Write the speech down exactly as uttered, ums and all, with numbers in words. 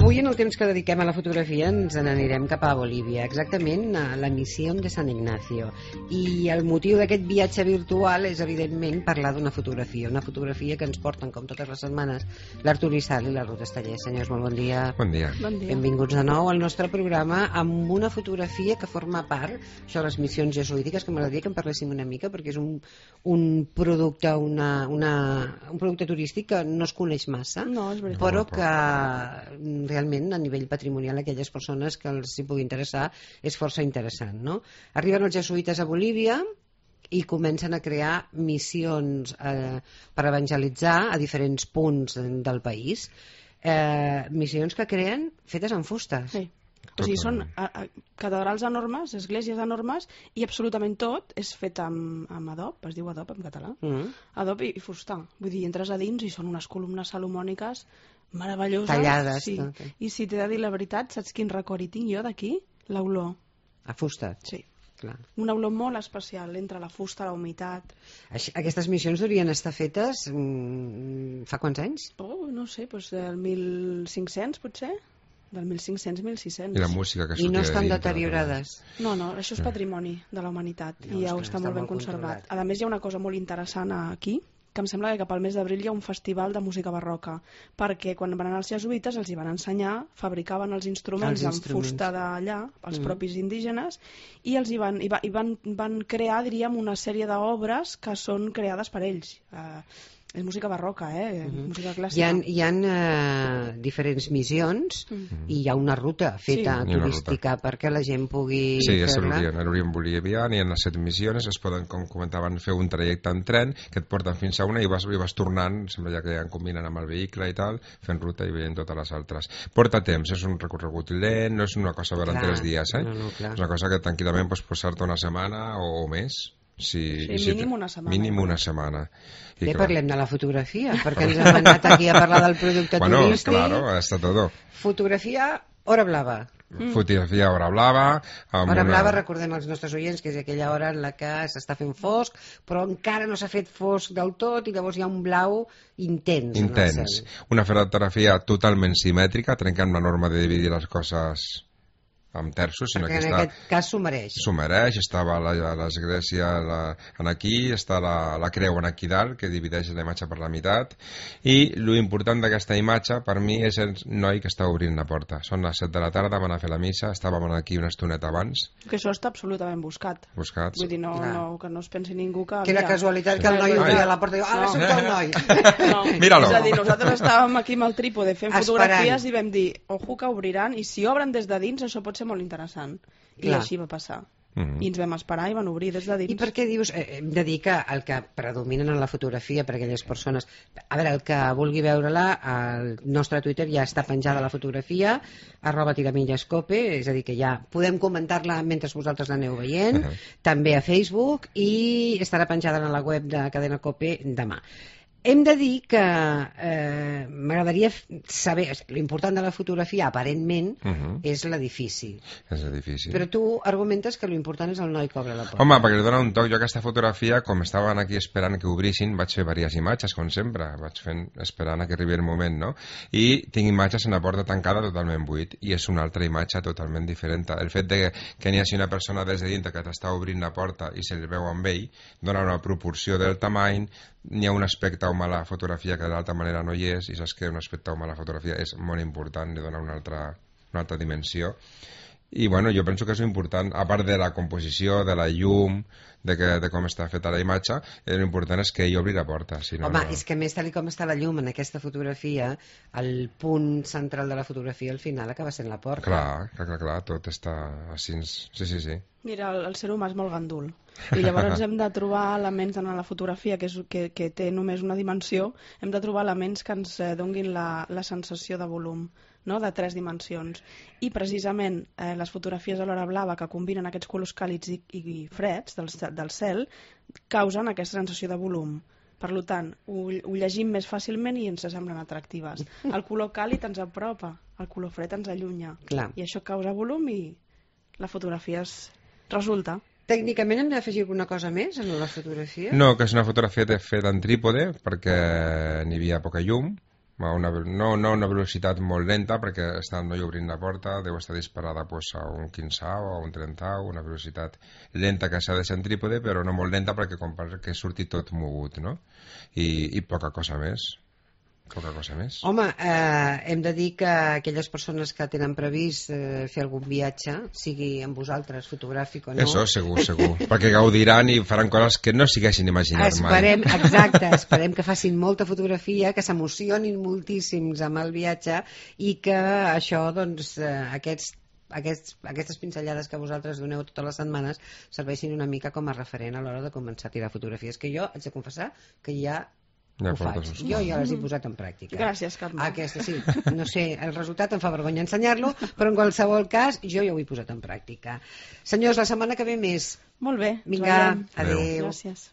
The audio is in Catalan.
Avui, en el temps que dediquem a la fotografia, ens n'anirem cap a Bolívia, exactament a la missió de San Ignacio. I el motiu d'aquest viatge virtual és, evidentment, parlar d'una fotografia, una fotografia que ens porten, com totes les setmanes, l'Artur Isal i la Ruth Esteller. Senyors, molt bon dia. Bon dia. Bon dia. Benvinguts de nou al nostre programa amb una fotografia que forma part, això de les missions jesuítiques, que m'agradaria que en parléssim una mica, perquè és un, un producte, una, una, un producte turístic que no es coneix massa, no, és veritat. però que realment a nivell patrimonial aquelles persones que els hi pugui interessar és força interessant, no? Arriben els jesuïtes a Bolívia i comencen a crear missions eh, per evangelitzar a diferents punts del país, eh, missions que creen fetes en fusta. Sí. O sigui, són a, a, catedrals enormes, esglésies enormes, i absolutament tot és fet amb, amb adob, es diu adob en català, mm. adob i, i fusta. Vull dir, entres a dins i són unes columnes salomòniques meravelloses. Tallades. Sí. Tot. I si t'he de dir la veritat, saps quin record hi tinc jo d'aquí? L'olor. A fusta? Sí. Clar. Una olor molt especial entre la fusta, la humitat. Aquestes missions deurien estar fetes mm, fa quants anys? Oh, no sé, doncs del mil cinc-cents potser? Del mil cinc-cents a mil sis-cents. I la música que I no estan dintre, deteriorades? No, no, això és patrimoni de la humanitat no, i ja està, està, està molt ben molt conservat. controlat. A més, hi ha una cosa molt interessant aquí, que em sembla que cap al mes d'abril hi ha un festival de música barroca, perquè quan van anar els jesuïtes els hi van ensenyar, fabricaven els instruments, els amb instruments. fusta d'allà, els mm. propis indígenes, i els hi van, i va, i van, van crear, diríem, una sèrie d'obres que són creades per ells. Uh, és música barroca, eh? Mm-hmm. Música clàssica. Hi ha, hi ha uh, diferents missions mm-hmm. i hi ha una ruta feta sí. turística perquè la gent pugui sí, fer-la. Sí, és l'Orient Bolivià, hi ha les set missions, es poden, com comentaven, fer un trajecte en tren que et porten fins a una i vas, i vas tornant, sembla ja que ja en combinen amb el vehicle i tal, fent ruta i veient totes les altres. Porta temps, és un recorregut lent, no és una cosa durant tres dies, eh? No, no, clar. És una cosa que tranquil·lament pots posar-te una setmana o, o més. Si, sí, si mínim una setmana. Mínim una setmana. I Bé, clar. parlem de la fotografia, perquè ens hem anat aquí a parlar del producte bueno, turístic. Claro, está todo. Fotografia, hora blava. Mm. Fotografia hora blava. Hora una... blava, recordem als nostres oients que és aquella hora en la que s'està fent fosc, però encara no s'ha fet fosc del tot i llavors hi ha un blau intens. Intens. Una fotografia totalment simètrica, trencant la norma de dividir les coses amb terços, sinó perquè que en està... aquest cas s'ho mereix. S'ho mereix, estava l'església en aquí, està la, la creu en aquí dalt, que divideix la imatge per la meitat, i l'important d'aquesta imatge, per mi, és el noi que està obrint la porta. Són les set de la tarda, van a fer la missa, estàvem aquí una estoneta abans. Que això està absolutament buscat. Buscat. Vull dir, no, no, que no es pensi ningú que... Que era mira, casualitat que el noi obria la porta i diu, ara no. surt el noi. No. Míralo. És a dir, nosaltres estàvem aquí amb el trípode fent Esperant. fotografies i vam dir, ojo que obriran, i si obren des de dins això pot ser molt interessant. I Clar. així va passar. Mm-hmm. I ens vam esperar i van obrir des de dins. I per què dius, eh, hem de dir que el que predominen en la fotografia per aquelles persones, a veure, el que vulgui veure-la, al nostre Twitter ja està penjada la fotografia, arroba tiramillescope, és a dir que ja podem comentar-la mentre vosaltres l'aneu veient, uh-huh. també a Facebook, i estarà penjada en la web de Cadena Cope demà. Hem de dir que eh, m'agradaria saber, l'important de la fotografia aparentment uh-huh. és l'edifici. És l'edifici. Però tu argumentes que l'important és el noi que obre la porta. Home, perquè li dona un toc. Jo aquesta fotografia, com estaven aquí esperant que obrissin, vaig fer diverses imatges, com sempre. Vaig fent, esperant a que arribi el moment, no? I tinc imatges en la porta tancada totalment buit. I és una altra imatge totalment diferent. El fet de que n'hi hagi una persona des de dintre que t'està obrint la porta i se li veu amb ell, dona una proporció del tamany, n'hi ha un aspecte humà a la fotografia que d'altra manera no hi és, i saps que un aspecte humà a la fotografia és molt important, li dona una altra, una altra dimensió. I bueno, jo penso que és important, a part de la composició, de la llum, de, que, de com està feta la imatge, l'important és que ell obri la porta. Si no, Home, no... és que més tal com està la llum en aquesta fotografia, el punt central de la fotografia al final acaba sent la porta. Clar, clar, clar, clar, tot està així. Sí, sí, sí. Mira, el, el ser humà és molt gandul. I llavors hem de trobar elements en la fotografia que, és, que, que té només una dimensió, hem de trobar elements que ens eh, donguin la, la sensació de volum, no? De tres dimensions. I precisament eh, les fotografies a l'hora blava que combinen aquests colors càlids i, i freds del, del cel causen aquesta sensació de volum. Per tant, ho, ho llegim més fàcilment i ens semblen atractives. El color càlid ens apropa, el color fred ens allunya. Clar. I això causa volum i la fotografia es resulta. Tècnicament hem d'afegir alguna cosa més en la fotografia? No, que és una fotografia feta en trípode perquè n'hi havia poca llum a una, no, no una velocitat molt lenta, perquè està el noi obrint la porta, deu estar disparada pues, a un quinzau o a un trentau, una velocitat lenta que s'ha de centrípode, però no molt lenta perquè com que surti tot mogut, no? I, i poca cosa més. Poca cosa més. Home, eh, hem de dir que aquelles persones que tenen previst eh, fer algun viatge, sigui amb vosaltres, fotogràfic o no... Això, segur, segur. Perquè gaudiran i faran coses que no s'haguessin imaginat esperem, mai. Exacte, esperem que facin molta fotografia, que s'emocionin moltíssims amb el viatge i que això, doncs, eh, aquests Aquests, aquestes pinzellades que vosaltres doneu totes les setmanes serveixin una mica com a referent a l'hora de començar a tirar fotografies, que jo haig de confessar que ja Ja ho faig. Jo ja les he posat en pràctica. Gràcies, Carme. Aquesta sí, no sé, el resultat em fa vergonya ensenyar-lo, però en qualsevol cas jo ja ho he posat en pràctica. Senyors, la setmana que ve més. Molt bé. Vinga, Adéu. adéu. Gràcies.